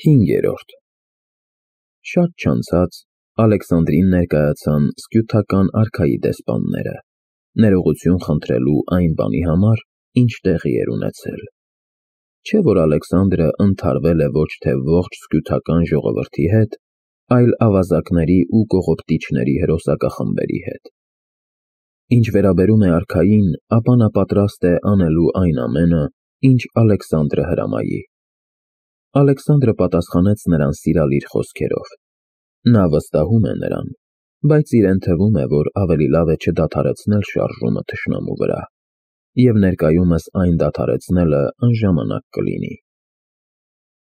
5-րդ Շատ չանցած Ալեքսանդրին ներկայացան սկյութական արքայի դեսպանները, ներողություն խնդրելու այն բանի համար, ինչ տեղի էր ունեցել։ Չէ՞ որ Ալեքսանդրը ընդհարվել է ոչ թե ողջ սկյութական ժողովրդի հետ, այլ ավազակների ու կողոպտիչների հրոսակախմբերի հետ։ Ինչ վերաբերում է արքային, ապա նա պատրաստ է անելու այն ամենը, ինչ Ալեքսանդրը հրամայի։ Ալեքսանդրը պատասխանեց նրան սիրալիր խոսքերով։ Նա վստահում է նրան, բայց իրեն թվում է, որ ավելի լավ է չդադարեցնել շարժումը թշնամու վրա, և ներկայումս այն դադարեցնելը անժամանակ կլինի։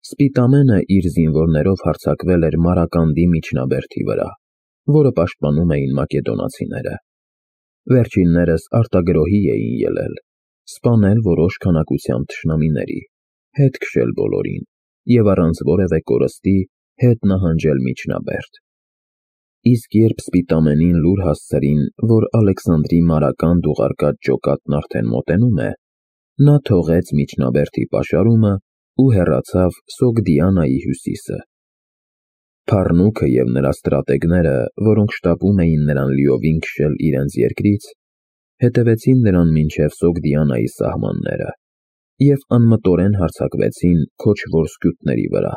Սպիտամենը իր զինվորներով հարձակվել էր Մարականդի միջնաբերդի վրա, որը պաշտպանում էին մակեդոնացիները։ Վերջիններս արտագրոհի էին ելել, սպանել որոշ քանակությամբ թշնամիների, հետ քշել բոլորին և առանց որևէ կորստի հետ նահանջել միջնաբերդ։ Իսկ երբ Սպիտամենին լուր հասցրին, որ Ալեքսանդրի Մարականդ ուղարկած ջոկատն արդեն մոտենում է, նա թողեց միջնաբերդի պաշարումը ու հեռացավ Սոգդիանայի հյուսիսը։ Փառնուքը և նրա ստրատեգները, որոնք շտապում էին նրան լիովին քշել իրենց երկրից, հետևեցին նրան մինչև Սոգդիանայի սահմանները և անմտորեն հարձակվեցին քոչվոր սկյութների վրա։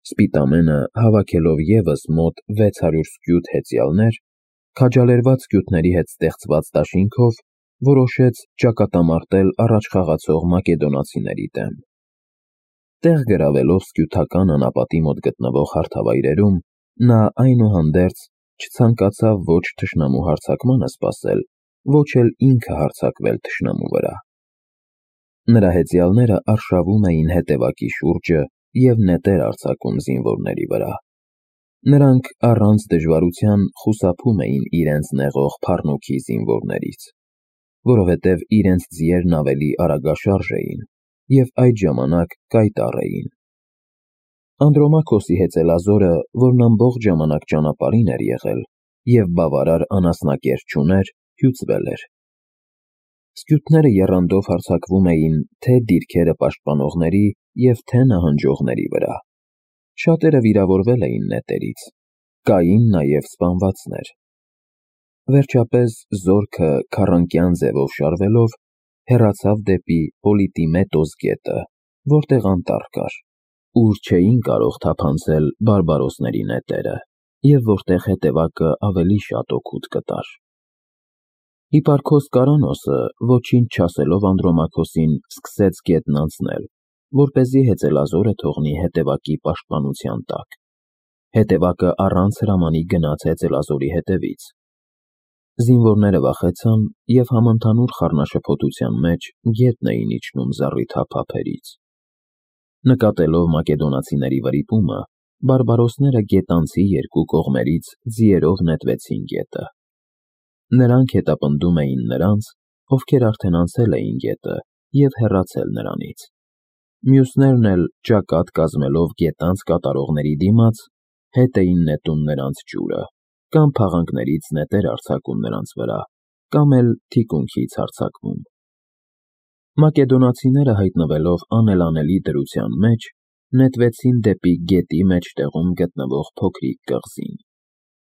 Սպիտամենը, հավաքելով ևս մոտ 600 սկյութ հեծյալներ, քաջալերված սկյութների հետ ստեղծված դաշինքով, որոշեց ճակատամարտել առաջ խաղացող մակեդոնացիների դեմ։ Տեղ գրավելով սկյութական անապատի մոտ գտնվող հարթավայրերում, նա այնուհանդերձ չցանկացավ ոչ թշնամու հարձակմանը սպասել, ոչ էլ ինքը հարձակվել թշնամու վրա։ Նրա հեծյալները արշավում էին հետևակի շուրջը և նետեր արձակում զինվորների վրա։ Նրանք առանց դժվարության խուսափում էին իրենց նեղող փառնուքի զինվորներից, որովհետև իրենց ձիերն ավելի արագաշարժ էին և այդ ժամանակ կայտառ էին։ Անդրոմաքոսի հեծելազորը, որն ամբողջ ժամանակ ճանապարհին էր եղել և բավարար անասնակեր չուներ, հյուծվել էր։ Սկյութները եռանդով հարձակվում էին թե դիրքերը պաշտպանողների և թե նահանջողների վրա։ Շատերը վիրավորվել էին նետերից, կային նաև սպանվածներ։ Վերջապես զորքը քառանկյան ձևով շարվելով հեռացավ դեպի Պոլիտիմետոս գետը, որտեղ անտառ կար, ուր չէին կարող թափանցել բարբարոսների նետերը, և որտեղ հետևակը ավելի շատ օգուտ կտար։ Հիպարքոս Կարանոսը, ոչինչ չասելով Անդրոմաքոսին, սկսեց գետն անցնել, որպեսզի հեծելազորը թողնի հետևակի պաշտպանության տակ։ Հետևակը առանց հրամանի գնաց հեծելազորի հետևից։ Զինվորները վախեցան և համընդհանուր խառնաշփոթության մեջ գետն էին իջնում զառիթափ ափերից։ Նկատելով մակեդոնացիների վրիպումը, բարբարոսները գետանցի երկու կողմերից ձիերով նետվեցին գետը։ Նրանք հետապնդում էին նրանց, ովքեր արդեն անցել էին գետը և հեռացել նրանից։ Մյուսներն էլ, ճակատ կազմելով գետանց կատարողների դիմաց, հետ էին նետում նրանց ջուրը, կամ փաղանքներից նետեր արձակում նրանց վրա, կամ էլ թիկունքից հարձակվում։ Մակեդոնացիները, հայտնվելով անելանելի դրության մեջ, նետվեցին դեպի գետի մեջտեղում գտնվող փոքրիկ կղզին։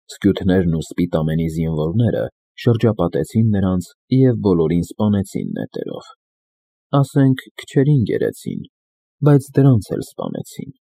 Սկյութներն ու Սպիտամենի զինվորները շրջապատեցին նրանց և բոլորին սպանեցին նետերով։ Ասենք քչերին գերեցին, բայց դրանց էլ սպանեցին։